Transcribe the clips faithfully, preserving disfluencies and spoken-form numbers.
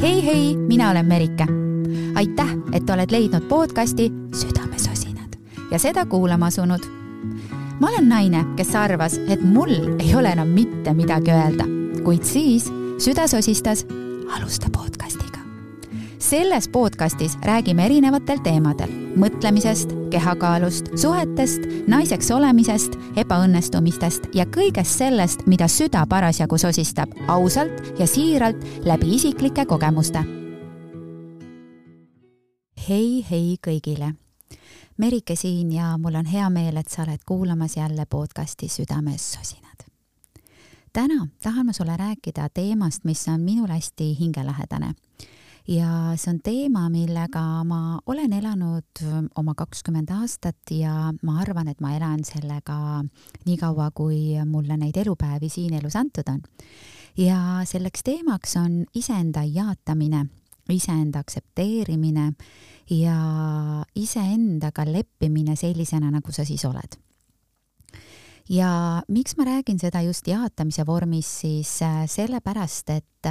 Hei hei, mina olen Merike. Aitäh, et oled leidnud podcasti Südamesosinad ja seda kuulama asunud. Ma olen naine, kes arvas, et mul ei ole enam mitte midagi öelda, kuid siis süda sosistas alusta podcastiga. Selles podcastis räägime erinevatel teemadel, mõtlemisest, kehakaalust, suhetest, naiseks olemisest, ebaõnnestumistest ja kõigest sellest, mida süda parasjagu sosistab ausalt ja siiralt läbi isiklike kogemuste. Hei, hei kõigile! Merike siin ja mul on hea meel, et sa oled kuulamas jälle podcasti Südamesosinad. Täna tahan ma sulle rääkida teemast, mis on minul hästi hingelähedane. Ja see on teema, millega ma olen elanud oma kakskümmend aastat ja ma arvan, et ma elan sellega nii kaua, kui mulle neid elupäevi siin elus antud on. Ja selleks teemaks on iseenda jaatamine, iseenda aksepteerimine ja iseendaga leppimine sellisena, nagu sa siis oled. Ja miks ma räägin seda just jaatamise vormis, siis sellepärast, et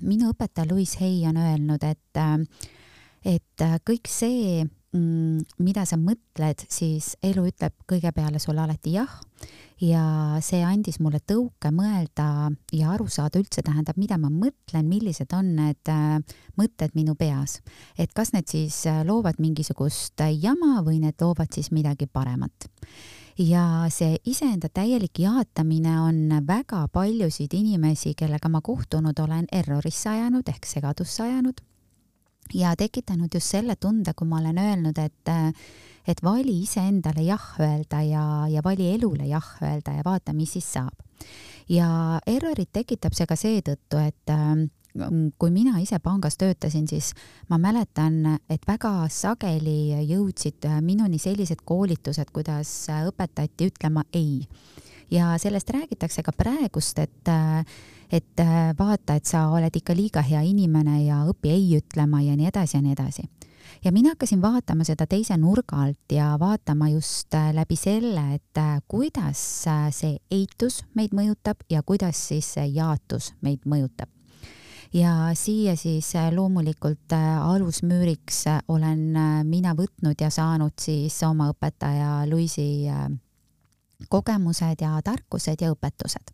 minu õpetaja Louise Hay on öelnud, et, et kõik see, mida sa mõtled, siis elu ütleb kõige peale sulle alati jah. Ja see andis mulle tõuke mõelda ja aru saada üldse tähendab, mida ma mõtlen, millised on need mõtted minu peas. Et kas need siis loovad mingisugust jama või need loovad siis midagi paremat. Ja see iseenda täielik jaatamine on väga paljusid inimesi, kellega ma kohtunud olen errorisse ajanud ehk segadusse ajanud ja tekitanud just selle tunde, kui ma olen öelnud, et, et vali iseendale jah öelda ja, ja vali elule jah öelda ja vaata, mis siis saab. Ja errorit tekitab see ka seetõttu, et kui mina ise pangas töötasin, siis ma mäletan, et väga sageli jõudsid minuni sellised koolitused, kuidas õpetati ütlema ei. Ja sellest räägitakse ka praegust, et, et vaata, et sa oled ikka liiga hea inimene ja õpi ei ütlema ja nii edasi ja nii edasi. Ja mina hakkasin vaatama seda teise nurga alt ja vaatama just läbi selle, et kuidas see eitus meid mõjutab ja kuidas siis see jaatus meid mõjutab. Ja siia siis loomulikult alusmüüriks olen mina võtnud ja saanud siis oma õpetaja Louise'i kogemused ja tarkused ja õpetused.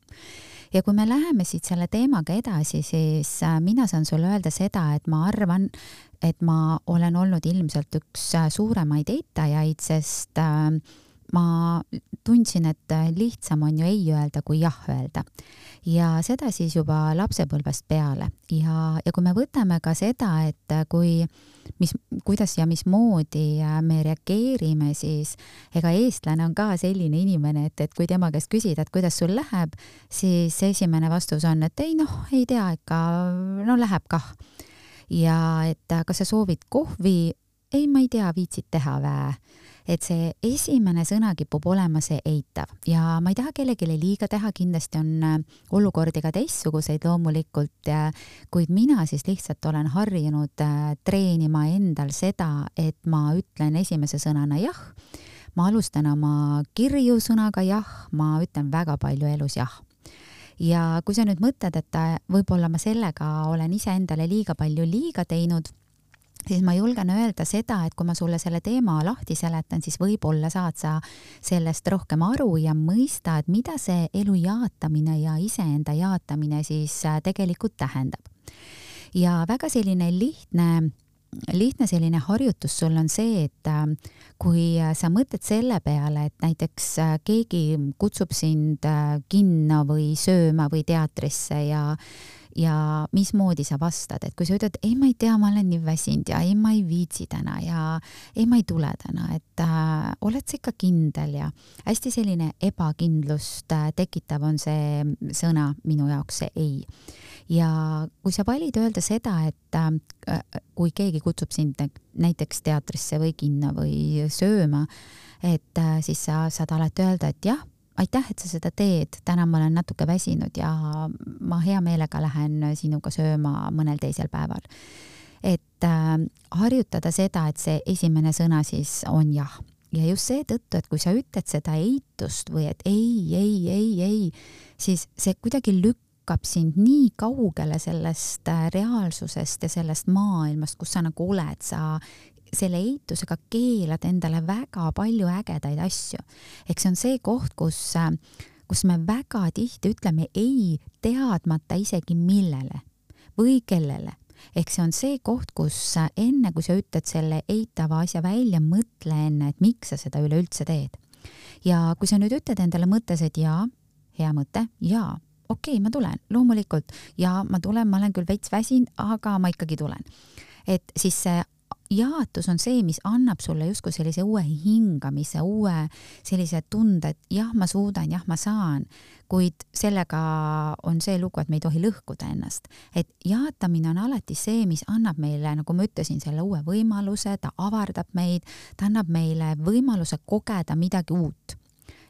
Ja kui me läheme siit selle teemaga edasi, siis mina saan sulle öelda seda, et ma arvan, et ma olen olnud ilmselt üks suuremaid eitajaid, sest ma tundsin, et lihtsam on ju ei öelda kui jah öelda. Ja seda siis juba lapsepõlvest peale. Ja, ja kui me võtame ka seda, et kui, mis, kuidas ja mismoodi me reageerime, siis ega eestlane on ka selline inimene, et, et kui tema käest küsida, et kuidas sul läheb, siis esimene vastus on, et ei noh, ei tea, ikka no läheb kah. Ja et kas sa soovid kohvi? Ei, ma ei tea, viitsid teha vää. Et see esimene sõna kipub olema see eitav ja ma ei taha kellegile liiga teha, kindlasti on olukordi ka teistsuguseid loomulikult, kuid mina siis lihtsalt olen harjunud treenima endal seda, et ma ütlen esimese sõnana jah, ma alustan oma kirju sõnaga jah, ma ütlen väga palju elus jah. Ja kui sa nüüd mõtled, et võib-olla ma sellega olen ise endale liiga palju liiga teinud, siis ma julgen öelda seda, et kui ma sulle selle teema lahti seletan, siis võib-olla saad sa sellest rohkem aru ja mõista, et mida see elu jaatamine ja iseenda jaatamine siis tegelikult tähendab. Ja väga selline lihtne, lihtne selline harjutus sul on see, et kui sa mõtled selle peale, et näiteks keegi kutsub sind kinno või sööma või teatrisse ja ja mismoodi sa vastad, et kui sa ütled, ei ma ei tea, ma olen nii väsinud ja ei ma ei viitsi täna ja ei ma ei tule täna, et äh, oled sa ikka kindel ja hästi selline ebakindlust äh, tekitav on see sõna minu jaoks see ei. Ja kui sa valid öelda seda, et äh, kui keegi kutsub sind näiteks teatrisse või kinno või sööma, et äh, siis sa saad alati öelda, et jah, aitäh, et sa seda teed, täna ma olen natuke väsinud ja ma hea meelega lähen sinuga sööma mõnel teisel päeval. Et äh, harjutada seda, et see esimene sõna siis on jah. Ja just see tõttu, et kui sa ütled seda eitust või et ei, ei, ei, ei, siis see kuidagi lükkab lükkab sind nii kaugele sellest reaalsusest ja sellest maailmast, kus sa nagu oled, sa selle eitusega keelad endale väga palju ägedaid asju. Ehk see on see koht, kus, kus me väga tihti ütleme ei teadmata isegi millele või kellele. Ehk see on see koht, kus enne, kui sa ütled selle eitava asja välja, mõtle enne, et miks sa seda üleüldse teed. Ja kui sa nüüd ütled endale mõttes, et jaa, hea mõte, jaa, okei, ma tulen, loomulikult, ja ma tulen, ma olen küll veits väsin, aga ma ikkagi tulen. Et siis see jaatus on see, mis annab sulle justkui sellise uue hingamise, uue sellise tunde, et jah, ma suudan, jah, ma saan, kuid sellega on see lugu, et me ei tohi lõhkuda ennast. Et jaatamine on alati see, mis annab meile, nagu ma ütlesin, selle uue võimaluse, ta avardab meid, ta annab meile võimaluse kogeda midagi uut.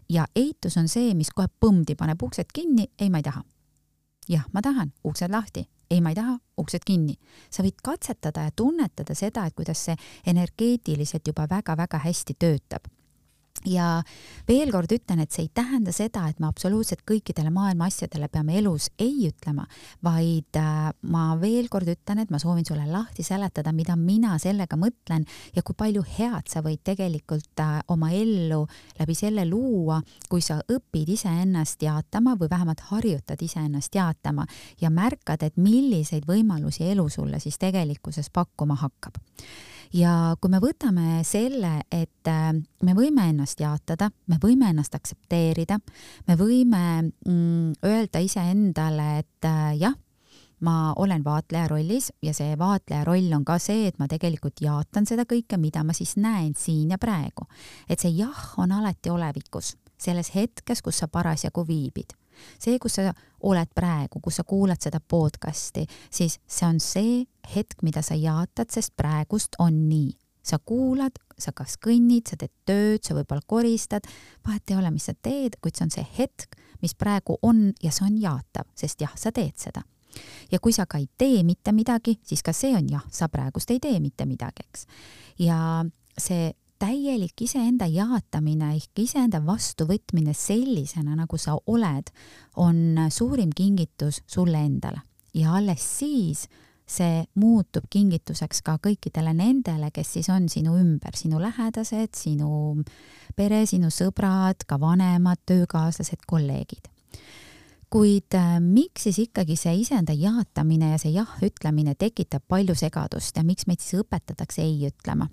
Ja eitus on see, mis kohe põmdi paneb uksed kinni, ei, ma ei taha. Jah, ma tahan, uksed lahti. Ei, ma ei taha, uksed kinni. Sa võid katsetada ja tunnetada seda, et kuidas see energeetiliselt juba väga-väga hästi töötab. Ja veel kord ütlen, et see ei tähenda seda, et me absoluutselt kõikidele maailma asjadele peame elus ei ütlema, vaid äh, ma veel kord ütlen, et ma soovin sulle lahti seletada, mida mina sellega mõtlen ja kui palju head sa võid tegelikult äh, oma ellu läbi selle luua, kui sa õpid iseennast jaatama või vähemalt harjutad iseennast jaatama ja märkad, et milliseid võimalusi elu sulle siis tegelikkuses pakkuma hakkab. Ja kui me võtame selle, et me võime ennast jaatada, me võime ennast aktsepteerida, me võime mm, öelda iseendale, et jah, ma olen vaatleja rollis ja see vaatleja roll on ka see, et ma tegelikult jaatan seda kõike, mida ma siis näen siin ja praegu. Et see jah on alati olevikus, selles hetkes, kus sa parasjagu viibid. See, kus sa oled praegu, kus sa kuulad seda podcasti, siis see on see hetk, mida sa jaatad, sest praegust on nii. Sa kuulad, sa kas kõnnid, sa teed tööd, sa võib-olla koristad, vahet ei ole, mis sa teed, kuid see on see hetk, mis praegu on ja see on jaatav, sest jah, sa teed seda. Ja kui sa ka ei tee mitte midagi, siis ka see on jah, sa praegust ei tee mitte midagi, eks. Ja see täielik iseenda jaatamine ehk iseenda vastuvõtmine sellisena, nagu sa oled, on suurim kingitus sulle endale. Ja alles siis see muutub kingituseks ka kõikidele nendele, kes siis on sinu ümber, sinu lähedased, sinu pere, sinu sõbrad, ka vanemad, töökaaslased, kolleegid. Kuid äh, miks siis ikkagi see iseenda jaatamine ja see jah ütlemine tekitab palju segadust ja miks meid siis õpetatakse ei ütlema?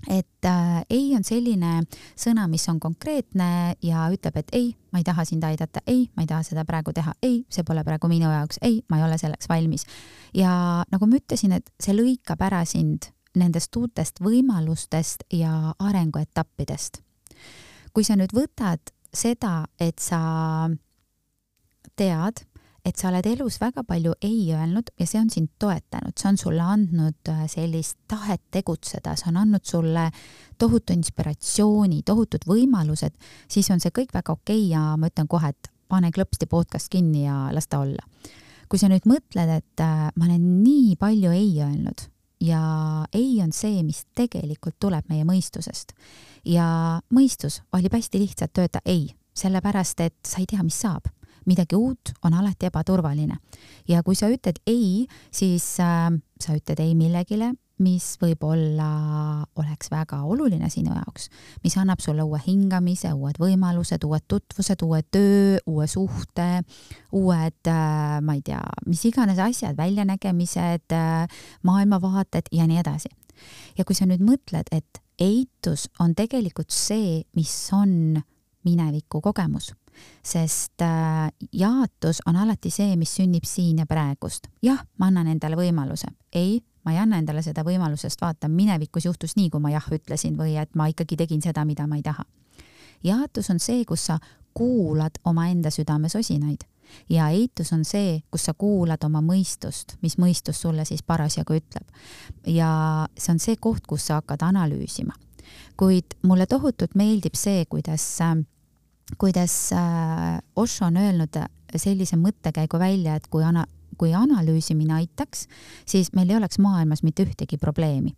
Et äh, ei on selline sõna, mis on konkreetne ja ütleb, et ei, ma ei taha sind aidata, ei, ma ei taha seda praegu teha, ei, see pole praegu minu jaoks, ei, ma ei ole selleks valmis. Ja nagu ma ütlesin, et see lõikab ära sind nendest uutest võimalustest ja arenguetappidest. Kui sa nüüd võtad seda, et sa tead, et sa oled elus väga palju ei öelnud ja see on sind toetanud, see on sulle andnud sellist tahet tegutseda, see on andnud sulle tohutu inspiratsiooni, tohutud võimalused, siis on see kõik väga okei ja ma ütlen kohe, et pane klõpsti podcast kinni ja las ta olla. Kui sa nüüd mõtled, et ma olen nii palju ei öelnud ja ei on see, mis tegelikult tuleb meie mõistusest ja mõistus valib hästi lihtsalt öelda ei, sellepärast, et sa ei tea, mis saab. Midagi uut on alati ebaturvaline. Ja kui sa ütled ei, siis äh, sa ütled ei millegile, mis võib-olla oleks väga oluline sinu jaoks, mis annab sulle uue hingamise, uued võimalused, uued tutvused, uue töö, uue suhte, uued, äh, ma ei tea, mis iganes asjad, väljanägemised, äh, maailmavaated ja nii edasi. Ja kui sa nüüd mõtled, et eitus on tegelikult see, mis on mineviku kogemus, sest äh, jaatus on alati see, mis sünnib siin ja praegust. Jah, ma annan endale võimaluse. Ei, ma ei anna endale seda võimalusest, vaata, minevikus juhtus nii, kui ma jah ütlesin või et ma ikkagi tegin seda, mida ma ei taha. Jaatus on see, kus sa kuulad oma enda südames osinaid ja eitus on see, kus sa kuulad oma mõistust, mis mõistus sulle siis parasjagu ütleb. Ja see on see koht, kus sa hakkad analüüsima. Kuid mulle tohutult meeldib see, kuidas äh, kuidas Osho on öelnud sellise mõttekäigu välja, et kui, ana, kui analüüsimine aitaks, siis meil ei oleks maailmas mitte ühtegi probleemi.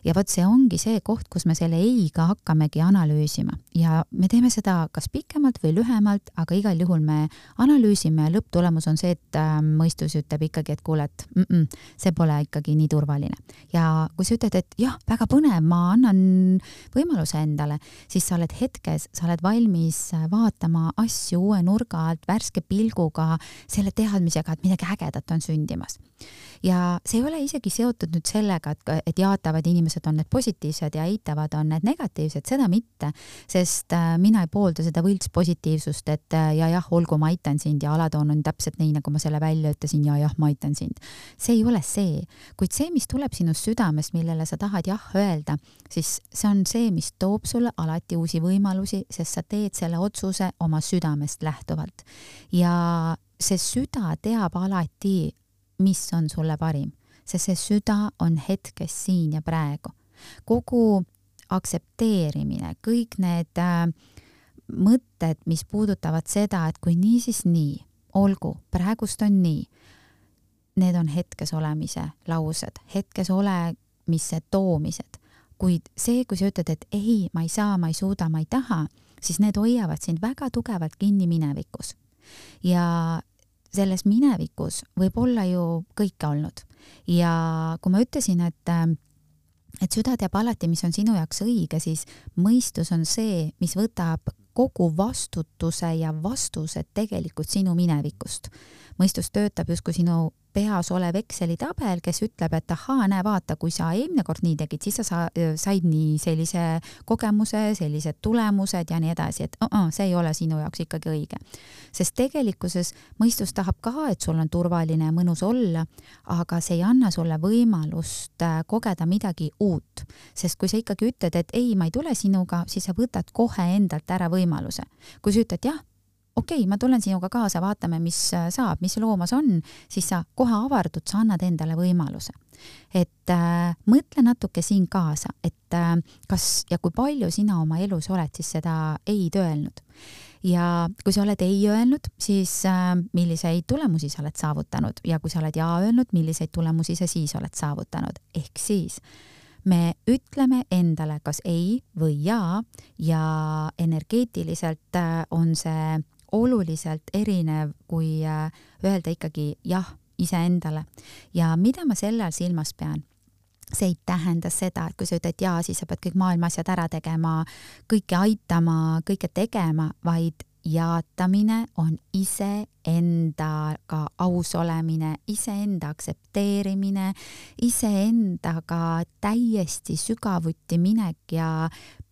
Ja vot see ongi see koht, kus me selle eiga hakkamegi analüüsima ja me teeme seda kas pikemalt või lühemalt, aga igal juhul me analüüsime ja lõpptulemus on see, et äh, mõistus ütleb ikkagi, et kuule, et mm -mm, see pole ikkagi nii turvaline. Ja kui sa ütled, et jah, väga põnev, ma annan võimaluse endale, siis sa oled hetkes, sa oled valmis vaatama asju uue nurga alt, värske pilguga, selle teadmisega, et midagi ägedat on sündimas. Ja see ei ole isegi seotud nüüd sellega, et, et jaatavad inimesed on need positiivsed ja eitavad on need negatiivsed, seda mitte, sest mina ei poolda seda võlts positiivsust, et ja jah, olgu, ma aitan sind ja alatoon on täpselt nii, nagu ma selle välja ütlesin ja jah, ma aitan sind. See ei ole see, kuid see, mis tuleb sinust südamest, millele sa tahad jah öelda, siis see on see, mis toob sulle alati uusi võimalusi, sest sa teed selle otsuse oma südamest lähtuvalt. Ja see süda teab alati, mis on sulle parim, sest see süda on hetkes siin ja praegu. Kogu aksepteerimine, kõik need äh, mõtted, mis puudutavad seda, et kui nii, siis nii, olgu, praegust on nii, need on hetkes olemise laused, hetkes olemise toomised. Kuid see, kui sa ütled, et ei, ma ei saa, ma ei suuda, ma ei taha, siis need hoiavad sind väga tugevalt kinni minevikus. Ja selles minevikus võib olla ju kõike olnud. Ja kui ma ütlesin, et, et süda teab alati, mis on sinu jaoks õige, siis mõistus on see, mis võtab kogu vastutuse ja vastused tegelikult sinu minevikust. Mõistus töötab justkui sinu peas olev Exceli tabel, kes ütleb, et ahaa, näe, vaata, kui sa eelmine kord nii tegid, siis sa said nii sellise kogemuse, sellised tulemused ja nii edasi, et uh -uh, see ei ole sinu jaoks ikkagi õige. Sest tegelikkuses mõistus tahab ka, et sul on turvaline ja mõnus olla, aga see ei anna sulle võimalust kogeda midagi uut. Sest kui sa ikkagi ütled, et ei, ma ei tule sinuga, siis sa võtad kohe endalt ära võimaluse. Kui sa ütled, jah, okei okay,, ma tulen sinuga kaasa, vaatame, mis saab, mis loomas on, siis sa kohe avardud, sa annad endale võimaluse. Et äh, mõtle natuke siin kaasa, et äh, kas ja kui palju sina oma elus oled siis seda ei öelnud. Ja kui sa oled ei öelnud, siis äh, milliseid tulemusi sa oled saavutanud ja kui sa oled jaa öelnud, milliseid tulemusi sa siis oled saavutanud. Ehk siis me ütleme endale kas ei või jaa ja energeetiliselt äh, on see oluliselt erinev, kui öelda ikkagi jah iseendale. Ja mida ma sellel silmas pean? See ei tähenda seda, et kui sa ütled jaa, siis sa pead kõik maailma asjad ära tegema, kõike aitama, kõike tegema, vaid jaatamine on iseendaga aus olemine, iseenda aksepteerimine, iseendaga täiesti sügavuti minek ja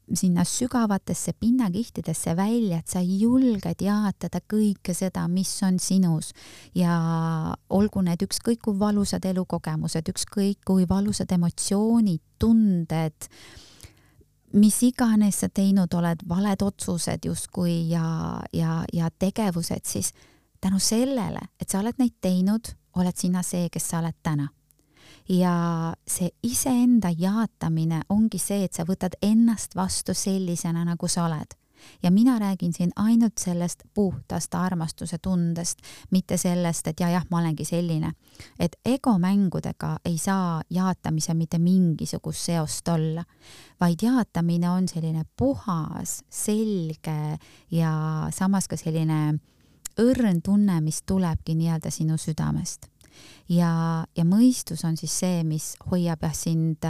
sinna sügavatesse pinnakihtidesse välja, et sa julged jaatada kõike seda, mis on sinus ja olgu need ükskõik kui valusad elukogemused, ükskõik kui valusad emotsioonid, tunded, mis iganes sa teinud oled, valed otsused justkui ja, ja, ja tegevused, siis tänu sellele, et sa oled neid teinud, oled sina see, kes sa oled täna. Ja see iseenda jaatamine ongi see, et sa võtad ennast vastu sellisena, nagu sa oled. Ja mina räägin siin ainult sellest puhtast armastuse tundest, mitte sellest, et ja jah, ma olengi selline. Et egomängudega ei saa jaatamise mitte mingisugust seost olla, vaid jaatamine on selline puhas, selge ja samas ka selline õrn tunne, mis tulebki nii-öelda sinu südamest. Ja, ja mõistus on siis see, mis hoiab jah sind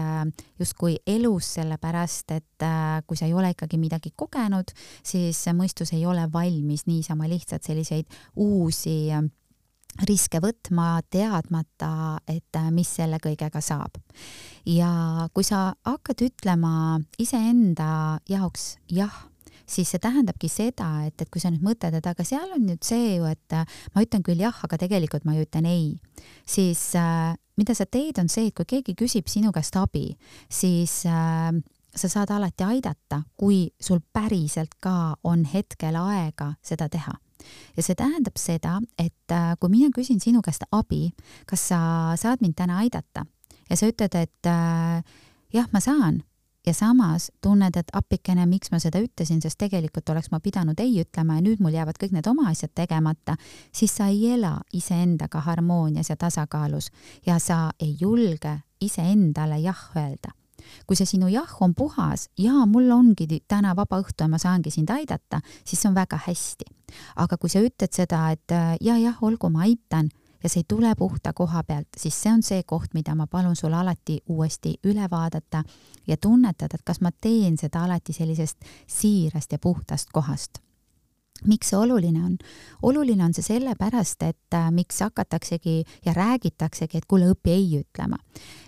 justkui elus, sellepärast, et kui sa ei ole ikkagi midagi kogenud, siis mõistus ei ole valmis niisama lihtsalt selliseid uusi riske võtma, teadmata, et mis selle kõigega saab. Ja kui sa hakkad ütlema iseenda jaoks jah, siis see tähendabki seda, et, et kui sa nüüd mõtled, et aga seal on nüüd see ju, et ma ütlen küll jah, aga tegelikult ma ütlen ei, siis äh, mida sa teed on see, et kui keegi küsib sinu käest abi, siis äh, sa saad alati aidata, kui sul päriselt ka on hetkel aega seda teha. Ja see tähendab seda, et äh, kui mina küsin sinu käest abi, kas sa saad mind täna aidata ja sa ütled, et äh, jah, ma saan, ja samas tunned, et appikene, miks ma seda ütlesin, sest tegelikult oleks ma pidanud ei ütlema ja nüüd mul jäävad kõik need oma asjad tegemata, siis sa ei ela iseendaga harmoonias ja tasakaalus ja sa ei julge iseendale jah öelda. Kui see sinu jah on puhas ja mul ongi täna vaba õhtu ja ma saangi sind aidata, siis see on väga hästi. Aga kui sa ütled seda, et ja, jah, olgu, ma aitan, ja see ei tule puhta koha pealt, siis see on see koht, mida ma palun sul alati uuesti üle vaadata ja tunnetada, et kas ma teen seda alati sellisest siirast ja puhtast kohast. Miks see oluline on? Oluline on see sellepärast, et äh, miks hakataksegi ja räägitaksegi, et kuule õpi ei ütlema.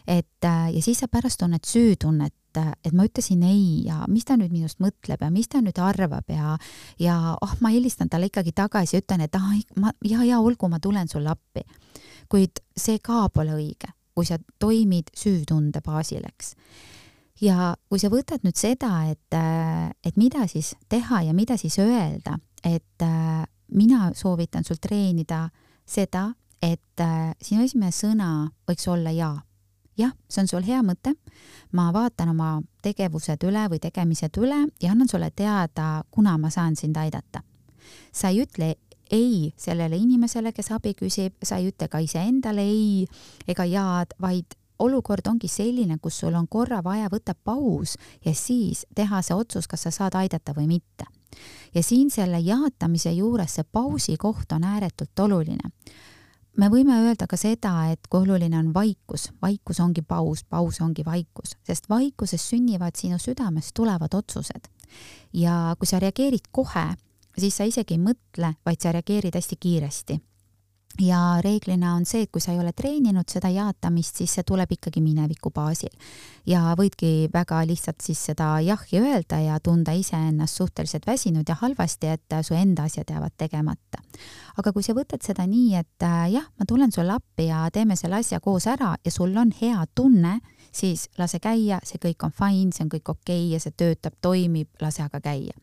Et, äh, ja siis sa pärast tunned süütunnet, et ma ütlesin ei ja mis ta nüüd minust mõtleb ja mis ta nüüd arvab ja, ja oh, ma helistan talle ikkagi tagasi ja ütlen, et ah, ma, ja, ja olgu, ma tulen sulle appi. Kuid see ka pole õige, kui sa toimid süütunde baasil, eks. Ja kui sa võtad nüüd seda, et, et mida siis teha ja mida siis öelda, et mina soovitan sul treenida seda, et sinu esimene sõna võiks olla ja. Jah, see on sul hea mõte. Ma vaatan oma tegevused üle või tegemised üle ja annan sulle teada, kuna ma saan sind aidata. Sa ei ütle ei sellele inimesele, kes abi küsib, sa ei ütle ka iseendale ei ega jaad, vaid olukord ongi selline, kus sul on korra vaja võtta paus ja siis teha see otsus, kas sa saad aidata või mitte. Ja siin selle jaatamise juures see pausi koht on ääretult oluline. Me võime öelda ka seda, et kui oluline on vaikus, vaikus ongi paus, paus ongi vaikus, sest vaikuses sünnivad sinu südamest tulevad otsused. Ja kui sa reageerid kohe, siis sa isegi ei mõtle, vaid sa reageerid hästi kiiresti. Ja reeglina on see, et kui sa ei ole treeninud seda jaatamist, siis see tuleb ikkagi mineviku baasil. Ja võidki väga lihtsalt siis seda jahhi öelda ja tunda ise ennast suhteliselt väsinud ja halvasti, et su enda asjad jäävad tegemata. Aga kui sa võtad seda nii, et jah, ma tulen sulle appi ja teeme selle asja koos ära ja sul on hea tunne, siis lase käia, see kõik on fine, see on kõik okei ja see töötab, toimib, lase aga käia.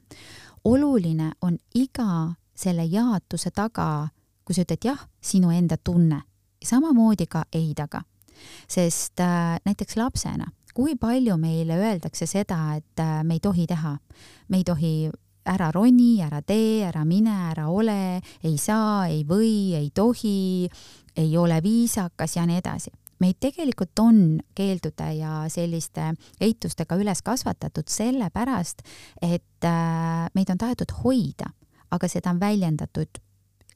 Oluline on iga selle jaatuse taga, kui sa ütled jah, sinu enda tunne. Samamoodi ka eidaga. Sest äh, näiteks lapsena, kui palju meile öeldakse seda, et äh, me ei tohi teha. Me ei tohi ära roni, ära tee, ära mine, ära ole, ei saa, ei või, ei tohi, ei ole viisakas ja nii edasi. Meid tegelikult on keeldude ja selliste eitustega üles kasvatatud sellepärast, et äh, meid on tahetud hoida, aga seda on väljendatud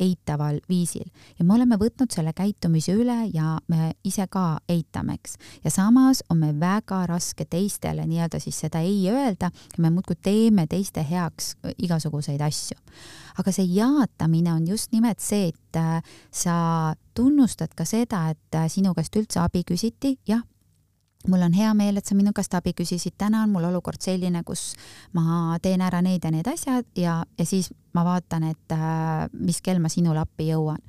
eitaval viisil. Ja me oleme võtnud selle käitumise üle ja me ise ka eitameks. Ja samas on me väga raske teistele nii-öelda siis seda ei öelda ja me muudkui teeme teiste heaks igasuguseid asju. Aga see jaatamine on just nimelt see, et sa tunnustad ka seda, et sinu käest üldse abi küsiti, jah, mul on hea meel, et sa minu käest abi küsisid, täna on mul olukord selline, kus ma teen ära need ja need asjad ja, ja siis ma vaatan, et äh, mis kell ma sinule appi jõuan.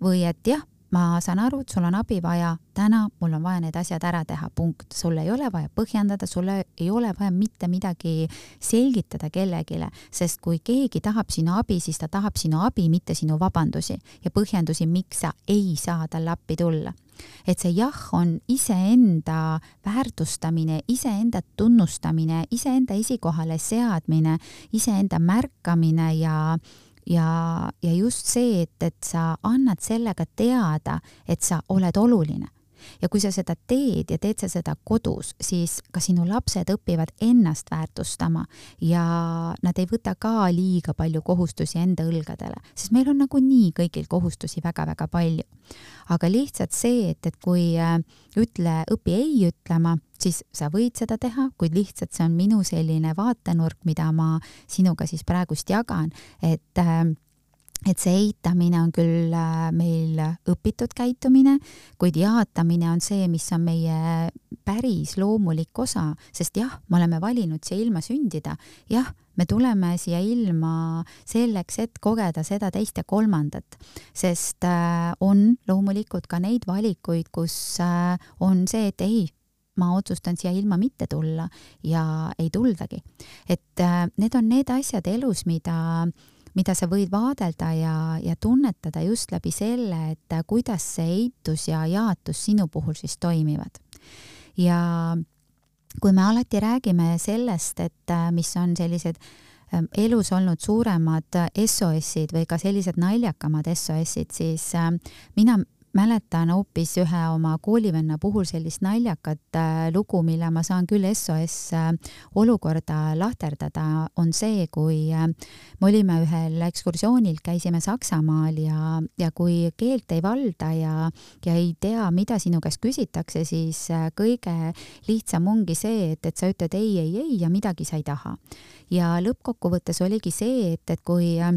Või et jah, ma saan aru, et sul on abi vaja, täna mul on vaja need asjad ära teha, punkt. Sul ei ole vaja põhjendada, sul ei ole vaja mitte midagi selgitada kellegile, sest kui keegi tahab sinu abi, siis ta tahab sinu abi, mitte sinu vabandusi ja põhjendusi, miks sa ei saa talle appi tulla. Et see jah on iseenda väärtustamine, iseenda tunnustamine, iseenda esikohale seadmine, iseenda märkamine ja Ja, ja just see, et, et sa annad sellega teada, et sa oled oluline. Ja kui sa seda teed ja teed sa seda kodus, siis ka sinu lapsed õpivad ennast väärtustama ja nad ei võta ka liiga palju kohustusi enda õlgadele, sest meil on nagu nii kõigil kohustusi väga-väga palju. Aga lihtsalt see, et, et kui ütle õpi ei ütlema, siis sa võid seda teha, kuid lihtsalt see on minu selline vaatenurk, mida ma sinuga siis praegust jagan, et et see eitamine on küll meil õpitud käitumine, kuid jaatamine on see, mis on meie päris loomulik osa, sest jah, me oleme valinud siia ilma sündida, jah, me tuleme siia ilma selleks, et kogeda seda teist ja kolmandat, sest on loomulikult ka neid valikuid, kus on see, et ei, ma otsustan siia ilma mitte tulla ja ei tuldagi. Et need on need asjad elus, mida mida sa võid vaadelda ja, ja tunnetada just läbi selle, et kuidas see eitus ja jaatus sinu puhul siis toimivad. Ja kui me alati räägime sellest, et mis on sellised elus olnud suuremad S O S-id või ka sellised naljakamad S O S-id, siis mina mäletan hoopis ühe oma koolivenna puhul sellist naljakat äh, lugu, mille ma saan küll S O S äh, olukorda lahterdada, on see, kui äh, me olime ühel ekskursioonil, käisime Saksamaal ja, ja kui keelt ei valda ja, ja ei tea, mida sinu käest küsitakse, siis äh, kõige lihtsam ongi see, et, et sa ütled ei, ei, ei ja midagi sa ei taha. Ja lõppkokkuvõttes oligi see, et, et kui äh,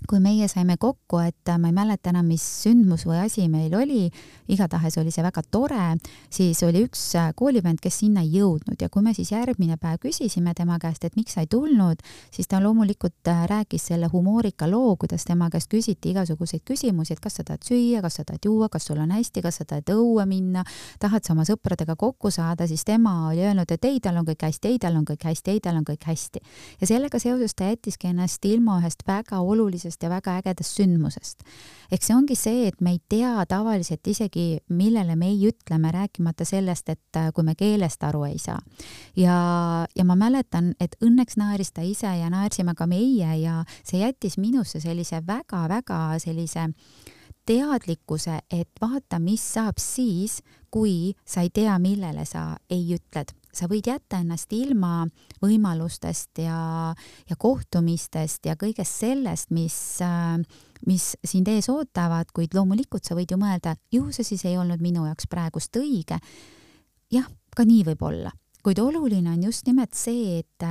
kui meie saime kokku, et ma ei mäleta enam, mis sündmus või asi meil oli, igatahes oli see väga tore, siis oli üks koolivend, kes sinna ei jõudnud ja kui me siis järgmine päev küsisime tema käest, et miks sa ei tulnud, siis ta loomulikult rääkis selle humoorika loo, kuidas tema käest küsiti igasuguseid küsimusi, et kas sa tahad süüa, kas sa tahad juua, kas sul on hästi, kas sa tahad õue minna, tahad sa oma sõpradega kokku saada, siis tema oli öelnud, et ei, tal on kõik hästi, ei, tal on kõik hästi, ei, tal on kõik hästi. Ja sellega seoses ta jättiski ennast ilma ühest väga olulisest ja väga ägedast sündmusest. Eks see ongi see, et me ei tea tavaliselt isegi, millele me ei ütleme, rääkimata sellest, et kui me keelest aru ei saa. Ja, ja ma mäletan, et õnneks naeris ta ise ja naersime ka meie ja see jättis minusse sellise väga-väga sellise teadlikkuse, et vaata, mis saab siis, kui sa ei tea, millele sa ei ütled. Sa võid jätta ennast ilma võimalustest ja, ja kohtumistest ja kõigest sellest, mis, mis sind ees ootavad, kuid loomulikult sa võid ju mõelda, ju see siis ei olnud minu jaoks praegust õige. Jah, ka nii võib olla. Kuid oluline on just nimelt see, et,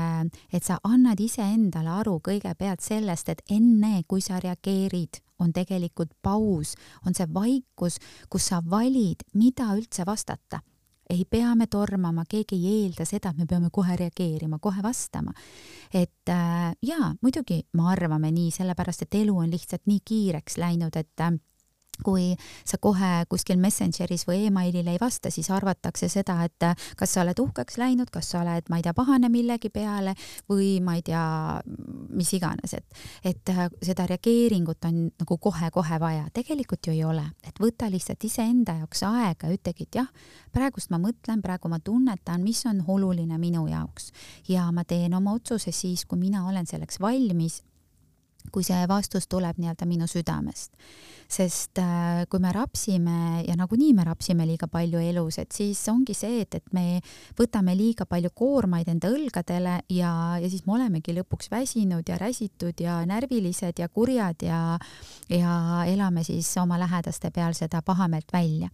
et sa annad ise endale aru kõigepealt sellest, et enne, kui sa reageerid, on tegelikult paus, on see vaikus, kus sa valid, mida üldse vastata. Ei pea me tormama, keegi ei eelda seda, et me peame kohe reageerima, kohe vastama. Et äh, jaa, muidugi me arvame nii, sellepärast, et elu on lihtsalt nii kiireks läinud, et äh, kui sa kohe kuskil Messengeris või emailile ei vasta, siis arvatakse seda, et kas sa oled uhkeks läinud, kas sa oled, ma ei tea, pahane millegi peale või ma ei tea, mis iganes, et, et seda reageeringut on nagu kohe-kohe vaja. Tegelikult ju ei ole, et võta lihtsalt ise enda jaoks aega ja ütlegi, et jah, praegust ma mõtlen, praegu ma tunnetan, mis on oluline minu jaoks ja ma teen oma otsuse siis, kui mina olen selleks valmis, kui see vastus tuleb nii-öelda minu südamest. Sest äh, kui me rapsime ja nagunii me rapsime liiga palju elus, et siis ongi see, et, et me võtame liiga palju koormaid enda õlgadele ja, ja siis me olemegi lõpuks väsinud ja räsitud ja närvilised ja kurjad ja, ja elame siis oma lähedaste peal seda pahameelt välja.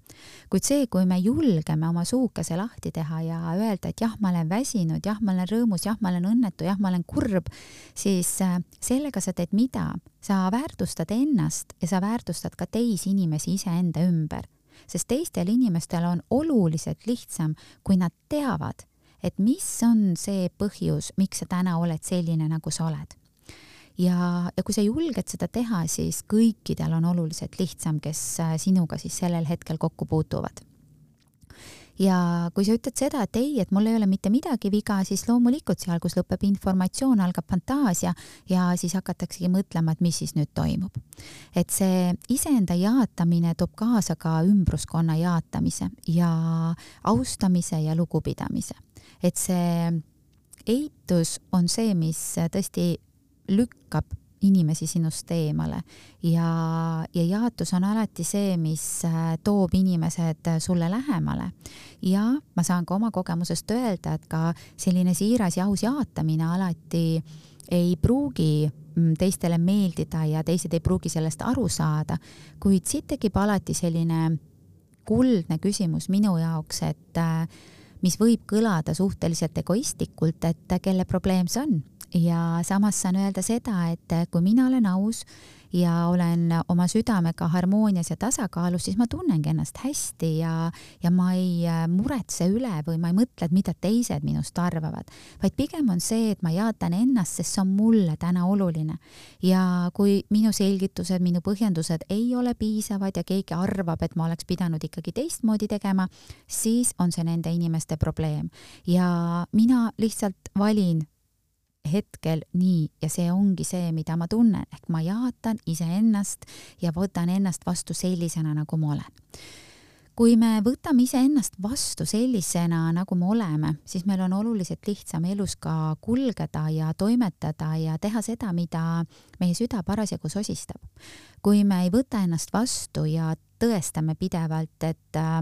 Kuid see, kui me julgeme oma suukese lahti teha ja öelda, et jah, ma olen väsinud, jah, ma olen rõõmus, jah, ma olen õnnetu, jah, ma olen kurb, siis äh, sellega sa teed mida? Sa väärtustad ennast ja sa väärtustad ka teisi inimesi iseenda ümber, sest teistel inimestel on oluliselt lihtsam, kui nad teavad, et mis on see põhjus, miks sa täna oled selline, nagu sa oled. Ja, ja kui sa julged seda teha, siis kõikidel on oluliselt lihtsam, kes sinuga siis sellel hetkel kokku puutuvad. Ja kui sa ütled seda, et ei, et mul ei ole mitte midagi viga, siis loomulikult seal, kus lõpeb informatsioon, algab fantaasia ja siis hakataksegi mõtlema, et mis siis nüüd toimub. Et see iseenda jaatamine toob kaasa ka ümbruskonna jaatamise ja austamise ja lugupidamise. Et see eitus on see, mis tõesti lükkab inimesi sinust eemale ja, ja jaatus on alati see, mis toob inimesed sulle lähemale. Ja ma saan ka oma kogemusest öelda, et ka selline siiras ja aus jaatamine alati ei pruugi teistele meeldida ja teised ei pruugi sellest aru saada, kuid siit tekib alati selline kuldne küsimus minu jaoks, et mis võib kõlada suhteliselt egoistlikult, et kelle probleem see on. Ja samas saan öelda seda, et kui mina olen aus ja olen oma südamega harmoonias ja tasakaalus, siis ma tunnengi ennast hästi ja, ja ma ei muretse üle või ma ei mõtle, mida teised minust arvavad, vaid pigem on see, et ma jaatan ennast, sest see on mulle täna oluline. Ja kui minu selgitused, minu põhjendused ei ole piisavad ja keegi arvab, et ma oleks pidanud ikkagi teistmoodi tegema, siis on see nende inimeste probleem. Ja mina lihtsalt valin hetkel nii ja see ongi see, mida ma tunnen, ehk ma jaatan iseennast ja võtan ennast vastu sellisena, nagu ma olen. kui me võtame iseennast vastu sellisena, nagu me oleme, siis meil on oluliselt lihtsam elus ka kulgeda ja toimetada ja teha seda, mida meie süda parasjagu sosistab. Kui me ei võta ennast vastu ja tõestame pidevalt, et äh,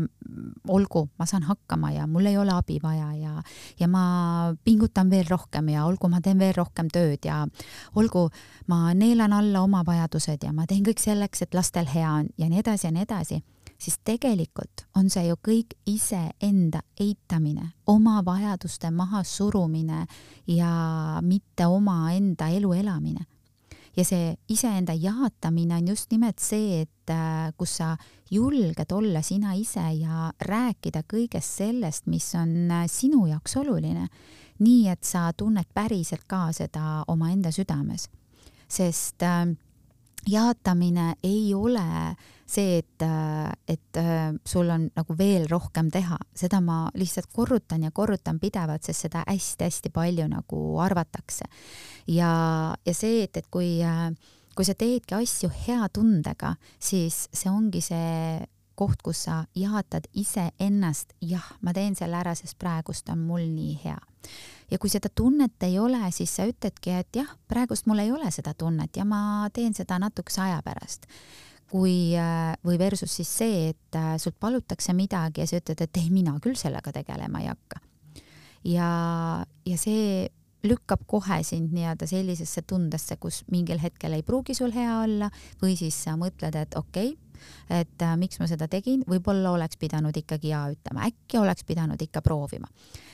olgu, ma saan hakkama ja mul ei ole abi vaja ja, ja ma pingutan veel rohkem ja olgu, ma teen veel rohkem tööd ja olgu, ma neelan alla oma vajadused ja ma teen kõik selleks, et lastel hea on ja nii edasi ja nii edasi, siis tegelikult on see ju kõik iseenda eitamine, oma vajaduste maha surumine ja mitte oma enda elu elamine. Ja see iseenda jaatamine on just nimelt see, et kus sa julged olla sina ise ja rääkida kõigest sellest, mis on sinu jaoks oluline, nii et sa tunned päriselt ka seda oma enda südames. Sest jaatamine ei ole see, et, et sul on nagu veel rohkem teha. Seda ma lihtsalt korrutan ja korrutan pidevalt, sest seda hästi-hästi palju nagu arvatakse. Ja, ja see, et, et kui, kui sa teedki asju hea tundega, siis see ongi see koht, kus sa jaatad ise ennast, jah, ma teen selle ära, sest praegust on mul nii hea. Ja kui seda tunnet ei ole, siis sa ütledki, et jah, praegust mul ei ole seda tunnet ja ma teen seda natukese aja pärast. Kui, või versus siis see, et sult palutakse midagi ja sa ütled, et ei, mina küll sellega tegelema ei hakka. Ja, ja see lükkab kohe sind nii-öelda sellisesse tundesse, kus mingil hetkel ei pruugi sul hea olla või siis sa mõtled, et okei, okay, et äh, miks ma seda tegin, võib-olla oleks pidanud ikkagi ja ütlema, äkki oleks pidanud ikka proovima.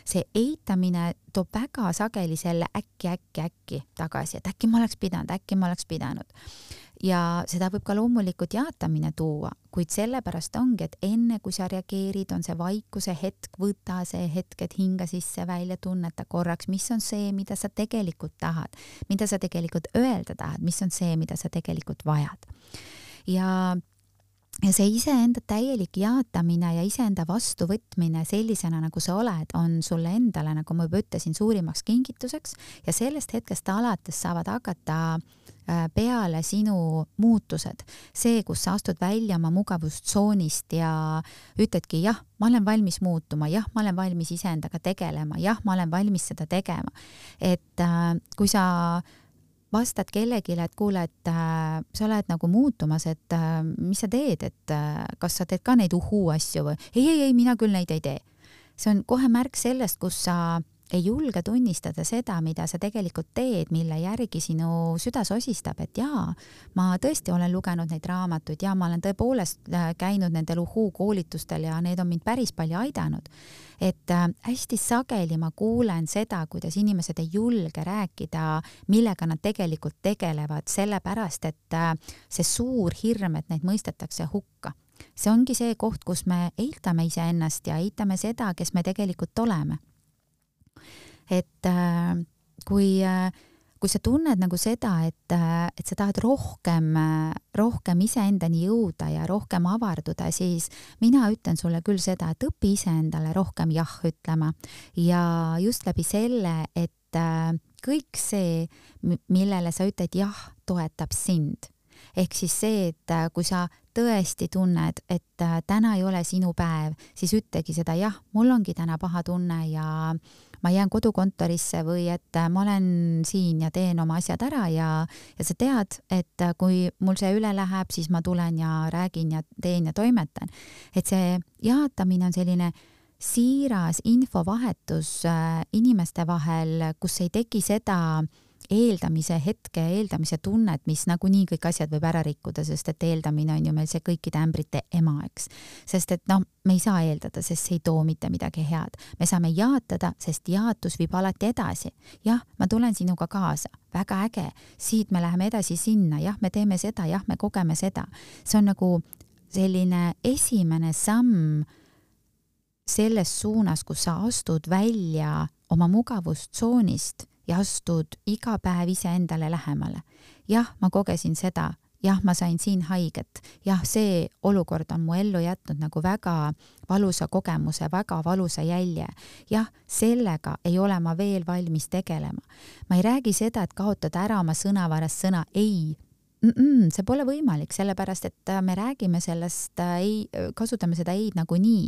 See eitamine toob väga sageli selle äkki, äkki, äkki tagasi, et äkki ma oleks pidanud, äkki ma oleks pidanud. Ja seda võib ka loomulikult jaatamine tuua, kuid sellepärast ongi, et enne kui sa reageerid, on see vaikuse hetk, võta see hetk, et hinga sisse välja, tunneta korraks, mis on see, mida sa tegelikult tahad, mida sa tegelikult öelda tahad, mis on see, mida sa tegelikult vajad. Ja Ja see iseenda täielik jaatamine ja iseenda vastuvõtmine sellisena, nagu sa oled, on sulle endale, nagu ma juba ütlesin, suurimaks kingituseks ja sellest hetkest alates saavad hakata peale sinu muutused. See, kus sa astud välja oma mugavustsoonist ja ütledki, jah, ma olen valmis muutuma, jah, ma olen valmis iseendaga tegelema, jah, ma olen valmis seda tegema. Et äh, kui sa vastad kellegile, et kuule, et äh, sa oled nagu muutumas, et äh, mis sa teed, et äh, kas sa teed ka neid uhuu asju või ei, ei, ei, mina küll neid ei tee. See on kohe märk sellest, kus sa ei julge tunnistada seda, mida sa tegelikult teed, mille järgi sinu süda sosistab, et jaa, ma tõesti olen lugenud neid raamatuid ja ma olen tõepoolest käinud nendel uhuu koolitustel ja need on mind päris palju aidanud. Et äh, hästi sageli ma kuulen seda, kuidas inimesed ei julge rääkida, millega nad tegelikult tegelevad, sellepärast, et äh, see suur hirm, et neid mõistetakse hukka. See ongi see koht, kus me eitame iseennast ja eitame seda, kes me tegelikult oleme. Et äh, kui, äh, kui sa tunned nagu seda, et, äh, et sa tahad rohkem, äh, rohkem iseendani jõuda ja rohkem avarduda, siis mina ütlen sulle küll seda, et õpi iseendale rohkem jah ütlema ja just läbi selle, et äh, kõik see, millele sa ütled jah, toetab sind. Ehk siis see, et äh, kui sa tõesti tunned, et äh, täna ei ole sinu päev, siis ütlegi seda jah, mul ongi täna paha tunne ja ma jään kodukontorisse või et ma olen siin ja teen oma asjad ära ja, ja sa tead, et kui mul see üle läheb, siis ma tulen ja räägin ja teen ja toimetan. Et see jaatamine on selline siiras infovahetus inimeste vahel, kus ei teki seda eeldamise hetke, eeldamise tunnet, mis nagunii kõik asjad võib ära rikkuda, sest et eeldamine on ju meil see kõikide ämbrite ema, eks. Sest et noh, me ei saa eeldada, sest see ei too mitte midagi head. Me saame jaatada, sest jaatus viib alati edasi. Jah, ma tulen sinuga kaasa, väga äge, siit me läheme edasi sinna, jah, me teeme seda, jah, me kogeme seda. See on nagu selline esimene samm selles suunas, kus sa astud välja oma mugavustsoonist ja astud iga päev ise endale lähemale. Jah, ma kogesin seda, jah, ma sain siin haiget, jah, see olukord on mu ellu jätnud nagu väga valusa kogemuse, väga valusa jälje. Jah, sellega ei ole ma veel valmis tegelema. Ma ei räägi seda, et kaotada ära oma sõnavarast sõna ei. Mm-mm, see pole võimalik, sellepärast et me räägime sellest, ei, kasutame seda ei nagu nii,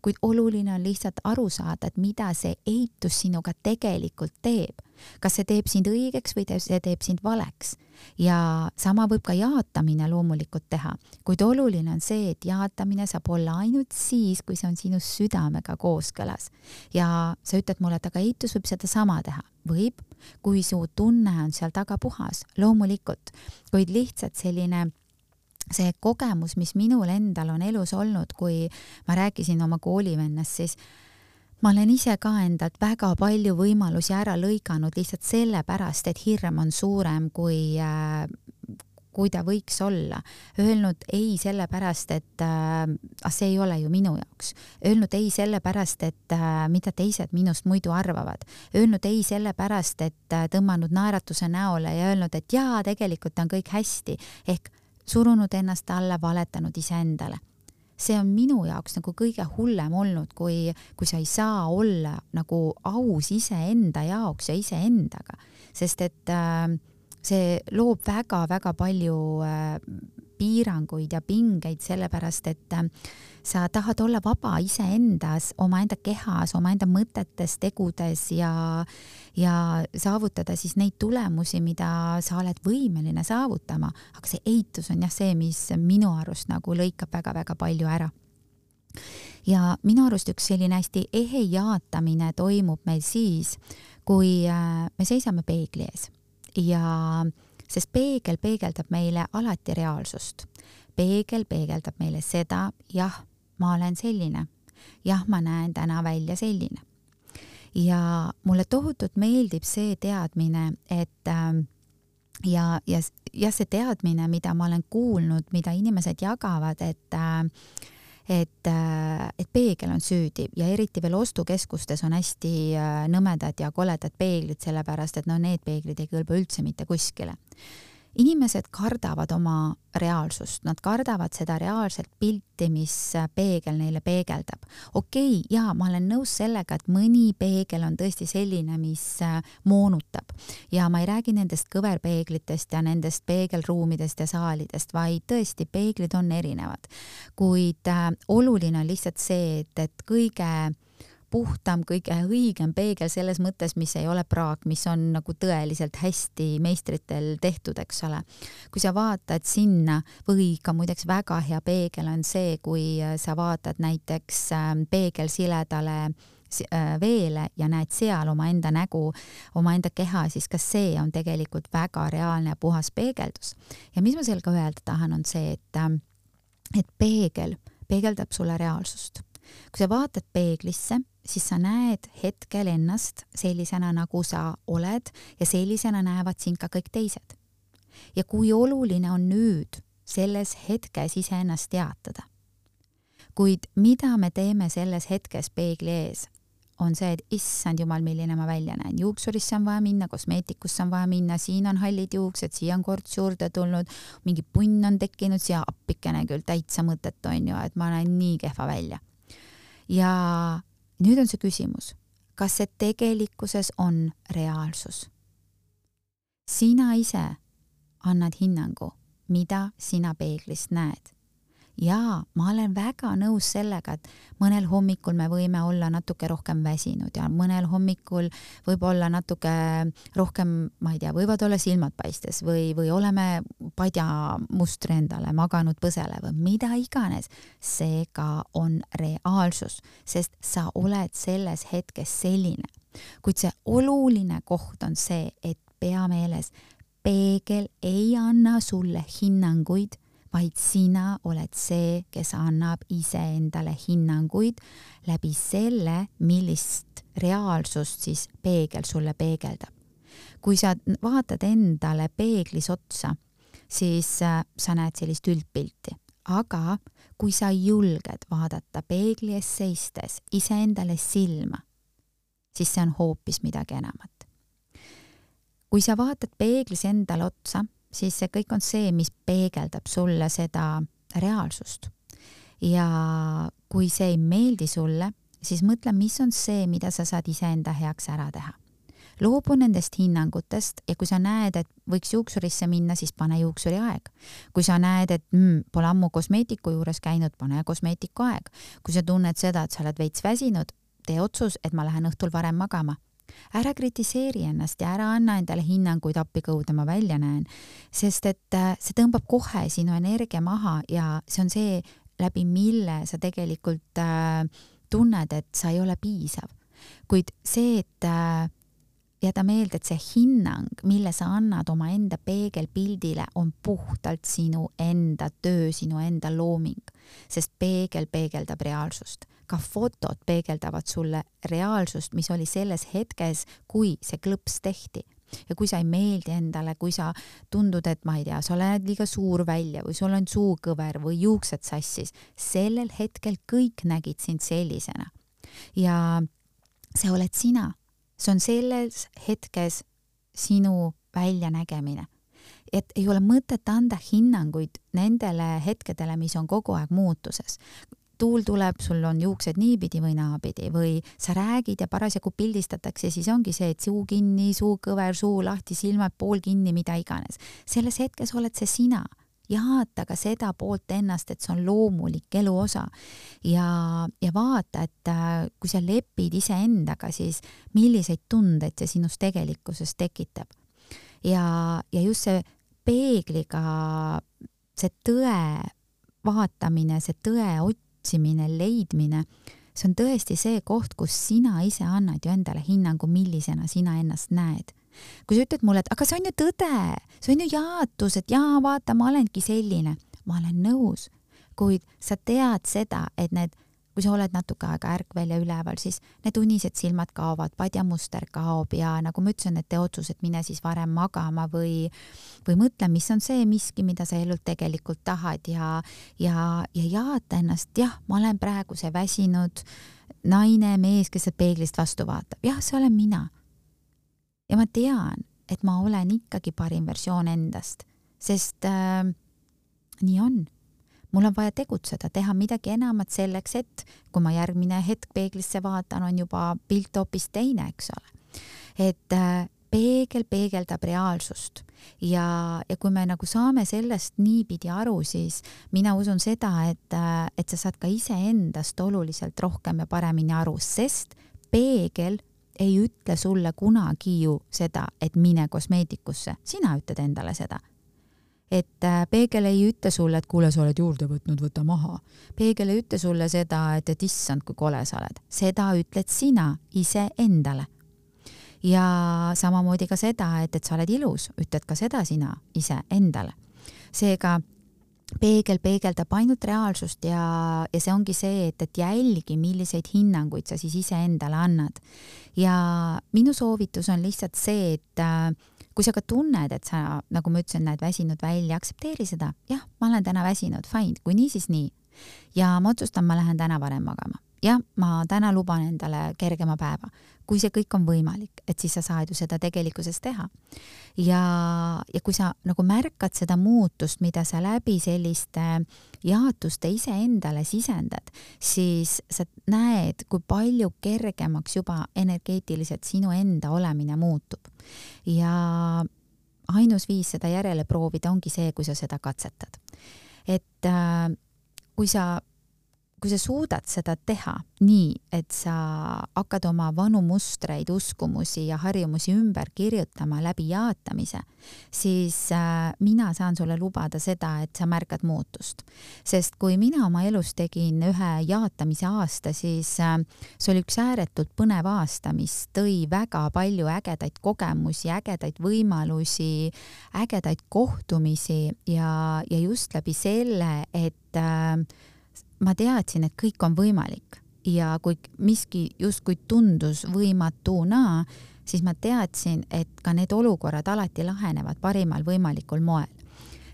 kuid oluline on lihtsalt aru saada, et mida see eitus sinuga tegelikult teeb. Kas see teeb sind õigeks või see teeb sind valeks. Ja sama võib ka jaatamine loomulikult teha, kuid oluline on see, et jaatamine saab olla ainult siis, kui see on sinu südamega kooskõlas. Ja sa ütled mulle, et aga eitus võib seda sama teha. Võib, kui su tunne on seal taga puhas, loomulikult, kuid lihtsalt selline see kogemus, mis minul endal on elus olnud, kui ma rääkisin oma koolivennast, siis ma olen ise ka endalt väga palju võimalusi ära lõiganud lihtsalt sellepärast, et hirm on suurem kui, äh, kui ta võiks olla. Öelnud ei sellepärast, et äh, see ei ole ju minu jaoks. Öelnud ei sellepärast, et äh, mida teised minust muidu arvavad. Öelnud ei sellepärast, et äh, tõmmanud naeratuse näole ja öelnud, et jaa, tegelikult on kõik hästi. Ehk surunud ennast alla, valetanud iseendale. See on minu jaoks nagu kõige hullem olnud, kui, kui sa ei saa olla nagu aus iseenda jaoks ja iseendaga. Sest et äh, see loob väga-väga palju äh, piiranguid ja pingeid, sellepärast et äh, sa tahad olla vaba iseendas, omaenda kehas, omaenda mõtetes, tegudes ja, ja saavutada siis neid tulemusi, mida sa oled võimeline saavutama. Aga see eitus on jah see, mis minu arust nagu lõikab väga-väga palju ära. Ja minu arust üks selline hästi ehe jaatamine toimub meil siis, kui äh, me seisame peegli ees. Ja sest peegel peegeldab meile alati reaalsust. Peegel peegeldab meile seda, jah, ma olen selline. Jah, ma näen täna välja selline. Ja mulle tohutult meeldib see teadmine, et äh, ja, ja, ja see teadmine, mida ma olen kuulnud, mida inimesed jagavad, et äh, et, et peegel on süüdi ja eriti veel ostukeskustes on hästi nõmedad ja koledad peeglid, sellepärast et no need peeglid ei kõlba üldse mitte kuskile. Inimesed kardavad oma reaalsust, nad kardavad seda reaalset pilti, mis peegel neile peegeldab. Okei, jaa, ma olen nõus sellega, et mõni peegel on tõesti selline, mis moonutab. Ja ma ei räägi nendest kõverpeeglitest ja nendest peegelruumidest ja saalidest, vaid tõesti peeglid on erinevad. Kuid äh, oluline on lihtsalt see, et, et kõige puhtam, kõige õigem peegel selles mõttes, mis ei ole praak, mis on nagu tõeliselt hästi meistritel tehtud, eks ole. Kui sa vaatad sinna või ka muideks väga hea peegel on see, kui sa vaatad näiteks peegel siledale veele ja näed seal oma enda nägu, oma enda keha, siis ka see on tegelikult väga reaalne ja puhas peegeldus. Ja mis ma sellega öelda tahan, on see, et, et peegel peegeldab sulle reaalsust. Kui sa vaatad peeglisse, siis sa näed hetkel ennast sellisena, nagu sa oled ja sellisena näevad sind ka kõik teised. Ja kui oluline on nüüd selles hetkes iseennast teatada. Kuid mida me teeme selles hetkes peegli ees, on see, et issand jumal, milline ma välja näen. Juuksurisse on vaja minna, kosmeetikusse on vaja minna, siin on hallid juuksed, siia on korts juurde tulnud, mingi punn on tekkinud, siia appikene küll täitsa mõtet on ju, et ma näen nii kehva välja. Ja nüüd on see küsimus, kas see tegelikkuses on reaalsus? Sina ise annad hinnangu, mida sina peeglist näed. Ja ma olen väga nõus sellega, et mõnel hommikul me võime olla natuke rohkem väsinud ja mõnel hommikul võib olla natuke rohkem, ma ei tea, võivad olla silmad paistes või, või oleme padja mustri endale maganud põsele või mida iganes. See ka on reaalsus, sest sa oled selles hetkes selline. Kuid see oluline koht on see, et pea meeles, peegel ei anna sulle hinnanguid, vaid sina oled see, kes annab iseendale hinnanguid läbi selle, millist reaalsust siis peegel sulle peegeldab. Kui sa vaatad endale peeglis otsa, siis sa näed sellist üldpilti. Aga kui sa julged vaadata peegli ees seistes iseendale silma, siis see on hoopis midagi enamat. Kui sa vaatad peeglis endale otsa, siis see kõik on see, mis peegeldab sulle seda reaalsust. Ja kui see ei meeldi sulle, siis mõtle, mis on see, mida sa saad iseenda heaks ära teha. loobu nendest hinnangutest ja kui sa näed, et võiks juuksurisse minna, siis pane juuksuri aeg. Kui sa näed, et mm, pole ammu kosmeetiku juures käinud, pane kosmeetiku aeg. Kui sa tunned seda, et sa oled veits väsinud, tee otsus, et ma lähen õhtul varem magama. Ära kritiseeri ennast ja ära anna endale hinnanguid appikõude ma välja näen, sest et see tõmbab kohe sinu energia maha ja see on see, läbi mille sa tegelikult äh, tunned, et sa ei ole piisav. Kuid see, et äh, jäta meelde, et see hinnang, mille sa annad oma enda peegelpildile, on puhtalt sinu enda töö, sinu enda looming, sest peegel peegeldab reaalsust. Ka fotod peegeldavad sulle reaalsust, mis oli selles hetkes, kui see klõps tehti. Ja kui sa ei meeldi endale, kui sa tundud, et ma ei tea, sa oled liiga suur välja või sul on suukõver või juuksed sassis, sellel hetkel kõik nägid sind sellisena. Ja see oled sina. See on selles hetkes sinu väljanägemine. Et ei ole mõtet anda hinnanguid nendele hetkedele, mis on kogu aeg muutuses. Tuul tuleb, sul on juuksed niipidi või naapidi või sa räägid ja parasjagu pildistatakse, siis ongi see, et suu kinni, suu kõver, suu lahti, silmad pool kinni, mida iganes. Selles hetkes oled see sina. Jaata ka seda poolt ennast, et see on loomulik elu osa. Ja, ja vaata, et kui sa lepid iseendaga, siis milliseid tundeid see sinus tegelikkuses tekitab. Ja, ja just see peegliga, see tõe vaatamine, see tõe otsimine, leidmine, see on tõesti see koht, kus sina ise annad ju endale hinnangu, millisena sina ennast näed. Kui sa ütled mulle, et aga see on ju tõde, see on ju jaatus, et jaa, vaata, ma olengi selline. Ma olen nõus, kuid sa tead seda, et need, kui sa oled natuke aega ärkvel ja üleval, siis need unised silmad kaovad, padjamuster kaob ja nagu ma ütlesin, et tee otsus, et mine siis varem magama või, või mõtle, mis on see miski, mida sa elult tegelikult tahad ja, ja, ja jaata ennast, jah, ma olen praegu see väsinud naine, mees, kes peeglist vastu vaatab. Jah, see olen mina. Ja ma tean, et ma olen ikkagi parim versioon endast, sest äh, nii on. Mul on vaja tegutseda, teha midagi enamat selleks, et kui ma järgmine hetk peeglisse vaatan, on juba pilt hoopis teine, eks ole. Et äh, peegel peegeldab reaalsust ja, ja kui me nagu saame sellest niipidi aru, siis mina usun seda, et, äh, et sa saad ka iseendast oluliselt rohkem ja paremini aru, sest peegel ei ütle sulle kunagi ju seda, et mine kosmeetikusse. Sina ütled endale seda. Et peegel ei ütle sulle, et kuule, sa oled juurde võtnud, võta maha. Peegel ei ütle sulle seda, et, et issand, kui kole sa oled. Seda ütled sina ise endale. Ja samamoodi ka seda, et, et sa oled ilus, ütled ka seda sina ise endale. Seega peegel peegeldab ainult reaalsust ja, ja see ongi see, et, et jälgi, milliseid hinnanguid sa siis ise endale annad. Ja minu soovitus on lihtsalt see, et kui sa ka tunned, et sa, nagu ma ütlesin, näed väsinud välja, aksepteeri seda. Jah, ma olen täna väsinud, fine, kui nii, siis nii. Ja ma otsustan, ma lähen täna varem magama. Ja ma täna luban endale kergema päeva. Kui see kõik on võimalik, et siis sa saad ju seda tegelikkuses teha. Ja, ja kui sa nagu märkad seda muutust, mida sa läbi selliste jaatuste ise endale sisendad, siis sa näed, kui palju kergemaks juba energeetiliselt sinu enda olemine muutub. Ja ainus viis seda järele proovida ongi see, kui sa seda katsetad. Et äh, kui sa kui sa suudad seda teha nii, et sa hakkad oma vanu mustreid, uskumusi ja harjumusi ümber kirjutama läbi jaatamise, siis äh, mina saan sulle lubada seda, et sa märkad muutust. Sest kui mina oma elus tegin ühe jaatamise aasta, siis äh, see oli üks ääretult põnev aasta, mis tõi väga palju ägedaid kogemusi, ägedaid võimalusi, ägedaid kohtumisi ja, ja just läbi selle, et äh, ma teadsin, et kõik on võimalik ja kui miski justkui tundus võimatuna, siis ma teadsin, et ka need olukorrad alati lahenevad parimal võimalikul moel.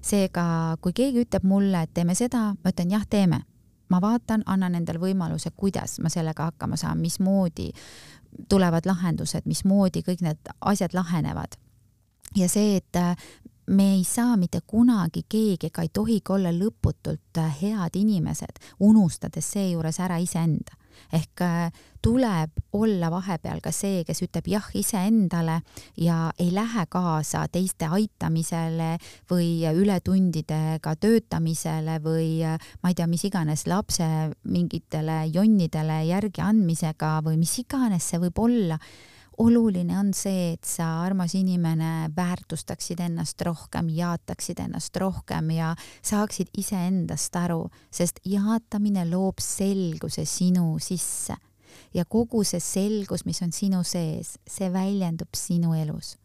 Seega, kui keegi ütleb mulle, et teeme seda, ma ütlen jah, teeme. Ma vaatan, annan endale võimaluse, kuidas ma sellega hakkama saan, mismoodi tulevad lahendused, mismoodi kõik need asjad lahenevad. Ja see, et me ei saa mitte kunagi keegi ega ei tohigi olla lõputult head inimesed, unustades seejuures ära iseenda. ehk tuleb olla vahepeal ka see, kes ütleb jah iseendale ja ei lähe kaasa teiste aitamisele või ületundidega töötamisele või ma ei tea, mis iganes lapse mingitele jonnidele järgi andmisega või mis iganes see võib olla. Oluline on see, et sa, armas inimene, väärtustaksid ennast rohkem, jaataksid ennast rohkem ja saaksid iseendast aru, sest jaatamine loob selguse sinu sisse ja kogu see selgus, mis on sinu sees, see väljendub sinu elus.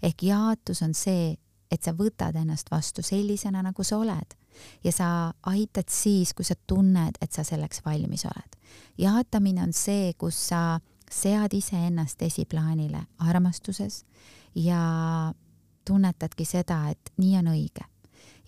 Ehk jaatus on see, et sa võtad ennast vastu sellisena, nagu sa oled ja sa aitad siis, kui sa tunned, et sa selleks valmis oled. Jaatamine on see, kus sa sead iseennast esiplaanile armastuses ja tunnetadki seda, et nii on õige.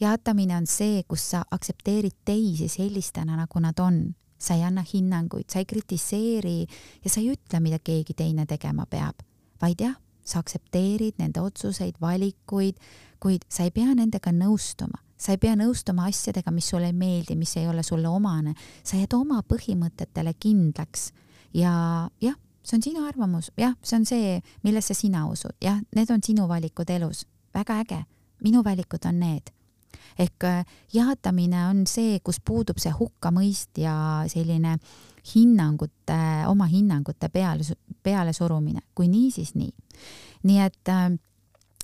Jaatamine on see, kus sa aktsepteerid teisi sellistena, nagu nad on. Sa ei anna hinnanguid, sa ei kritiseeri ja sa ei ütle, mida keegi teine tegema peab, vaid jah, sa aktsepteerid nende otsuseid, valikuid, kuid sa ei pea nendega nõustuma. Sa ei pea nõustuma asjadega, mis sulle ei meeldi, mis ei ole sulle omane. Sa jääd oma põhimõtetele kindlaks ja jah, see on sinu arvamus, jah, see on see, millesse sina usud, jah, need on sinu valikud elus, väga äge, minu valikud on need. Ehk jaatamine on see, kus puudub see hukkamõist ja selline hinnangute, oma hinnangute peale, peale surumine, kui nii, siis nii. Nii et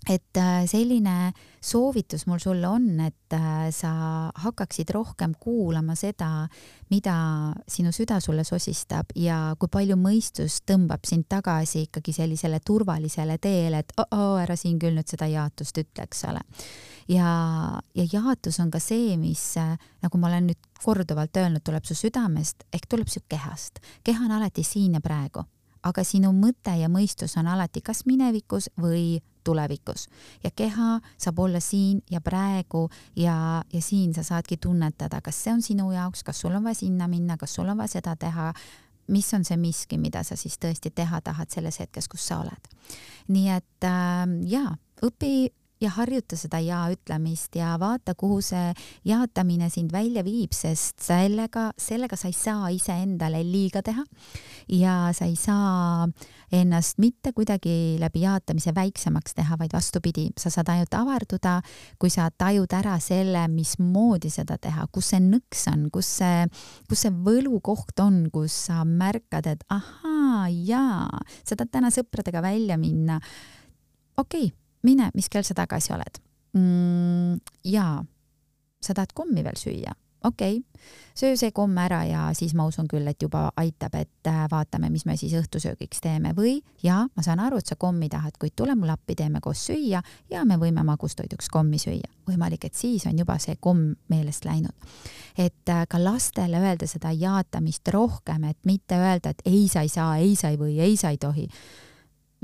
et selline soovitus mul sulle on, et sa hakkaksid rohkem kuulama seda, mida sinu süda sulle sosistab ja kui palju mõistus tõmbab sind tagasi ikkagi sellisele turvalisele teele, et oh, oh, ära siin küll nüüd seda jaatust ütleks ole. Ja, ja jaatus on ka see, mis, nagu ma olen nüüd korduvalt öelnud, tuleb su südamest, ehk tuleb su kehast. Keha on alati siin ja praegu, aga sinu mõte ja mõistus on alati kas minevikus või tulevikus. Ja keha saab olla siin ja praegu ja, ja siin sa saadki tunnetada, kas see on sinu jaoks, kas sul on vaja sinna minna, kas sul on vaja seda teha, mis on see miski, mida sa siis tõesti teha tahad selles hetkes, kus sa oled. Nii et äh, jaa, õpi ja harjuta seda jaa ütlemist ja vaata, kuhu see jaatamine sind välja viib, sest sellega, sellega sa ei saa ise endale liiga teha ja sa ei saa ennast mitte kuidagi läbi jaatamise väiksemaks teha, vaid vastupidi, sa saad ainult avarduda, kui sa tajud ära selle, mismoodi seda teha, kus see nõks on, kus see, kus see võlukoht on, kus sa märkad, et ahaa, jaa, sa tahad täna sõpradega välja minna. Okei, okay, mine, mis kell sa tagasi oled? Mm, jaa, sa tahad kommi veel süüa? Okei, okay. Söö see komm ära ja siis ma usun küll, et juba aitab, et vaatame, mis me siis õhtusöögiks teeme või jaa, ma saan aru, et sa kommi tahad, kuid tule mul appi, teeme koos süüa ja me võime magustoiduks kommi süüa. Võimalik, et siis on juba see komm meelest läinud. Et ka lastele öelda seda jaatamist rohkem, et mitte öelda, et ei sa ei saa, ei sa ei või, ei sa ei tohi.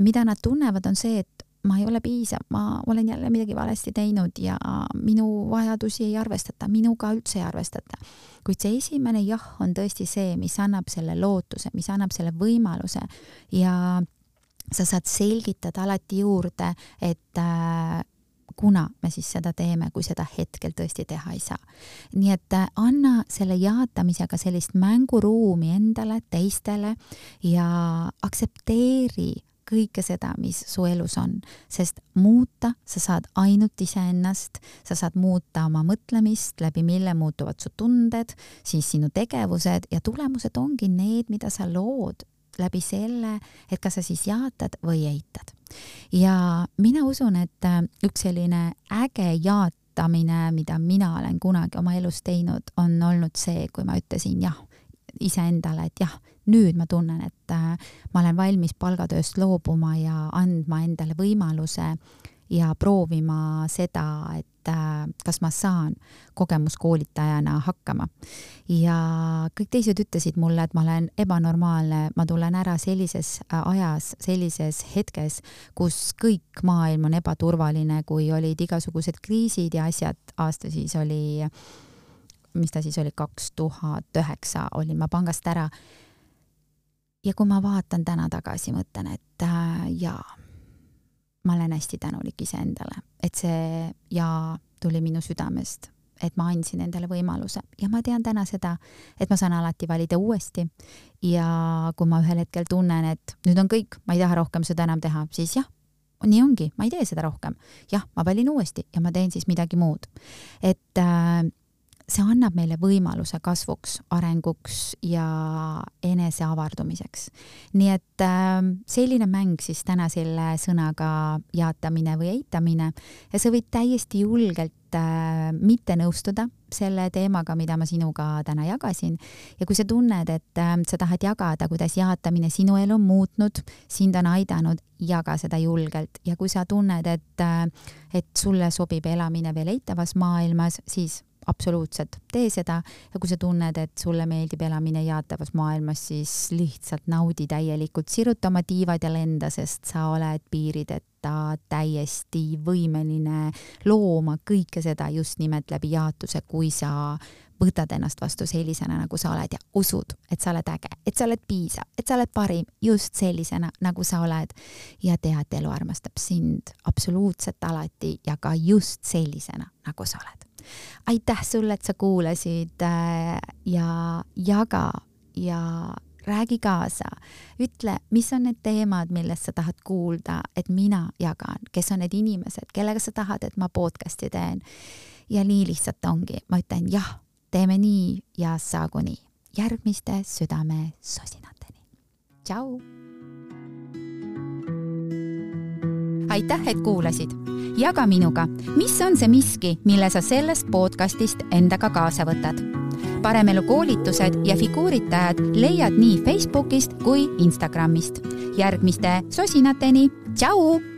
Mida nad tunnevad on see, et ma ei ole piisav, ma olen jälle midagi valesti teinud ja minu vajadusi ei arvestata, minuga üldse ei arvestata. Kuid see esimene jah on tõesti see, mis annab selle lootuse, mis annab selle võimaluse ja sa saad selgitada alati juurde, et äh, kuna me siis seda teeme, kui seda hetkel tõesti teha ei saa. Nii et äh, anna selle jaatamisega sellist mänguruumi endale, teistele ja aksepteeri kõike seda, mis su elus on, sest muuta sa saad ainult iseennast, sa saad muuta oma mõtlemist, läbi mille muutuvad su tunded, siis sinu tegevused ja tulemused ongi need, mida sa lood läbi selle, et kas sa siis jaatad või eitad. Ja mina usun, et üks selline äge jaatamine, mida mina olen kunagi oma elus teinud, on olnud see, kui ma ütlesin jah, iseendale, et jah, nüüd ma tunnen, et äh, ma olen valmis palgatööst loobuma ja andma endale võimaluse ja proovima seda, et äh, kas ma saan kogemuskoolitajana hakkama. Ja kõik teised ütlesid mulle, et ma olen ebanormaalne, ma tulen ära sellises ajas, sellises hetkes, kus kõik maailm on ebaturvaline, kui olid igasugused kriisid ja asjad, aasta siis oli mis ta siis oli, kaks tuhat üheksa olin ma pangast ära. Ja kui ma vaatan täna tagasi, mõtlen, et äh, jaa, ma olen hästi tänulik iseendale, et see jaa tuli minu südamest, et ma andsin endale võimaluse ja ma tean täna seda, et ma saan alati valida uuesti ja kui ma ühel hetkel tunnen, et nüüd on kõik, ma ei taha rohkem seda enam teha, siis jah, nii ongi, ma ei tee seda rohkem. Jah, ma valin uuesti ja ma teen siis midagi muud. Et äh, see annab meile võimaluse kasvuks, arenguks ja enese avardumiseks. Nii et äh, selline mäng siis täna selle sõnaga jaatamine või eitamine ja sa võid täiesti julgelt äh, mitte nõustuda selle teemaga, mida ma sinuga täna jagasin. Ja kui sa tunned, et äh, sa tahad jagada, kuidas jaatamine sinu elu on muutnud, sind on aidanud, jaga seda julgelt. Ja kui sa tunned, et, äh, et sulle sobib elamine veel eitavas maailmas, siis absoluutselt tee seda ja kui sa tunned, et sulle meeldib elamine jaatavas maailmas, siis lihtsalt naudi täielikult, siruta oma tiivad ja lenda, sest sa oled piirideta täiesti võimeline looma kõike seda just nimelt läbi jaatuse, kui sa võtad ennast vastu sellisena, nagu sa oled ja usud, et sa oled äge, et sa oled piisav, et sa oled parim just sellisena, nagu sa oled ja tea, et elu armastab sind absoluutselt alati ja ka just sellisena, nagu sa oled. Aitäh sulle, et sa kuulasid ja jaga ja räägi kaasa. Ütle, mis on need teemad, millest sa tahad kuulda, et mina jagan, kes on need inimesed, kellega sa tahad, et ma podcasti teen. Ja nii lihtsalt ongi. Ma ütlen jah, teeme nii ja saagu nii. Järgmiste südame sosinateni. Tšau! Aitäh, et kuulasid. Jaga minuga, mis on see miski, mille sa sellest podcastist endaga kaasa võtad. Paremelu koolitused ja figuuritajad leiad nii Facebookist kui Instagramist. Järgmiste sosinateni. Tšau!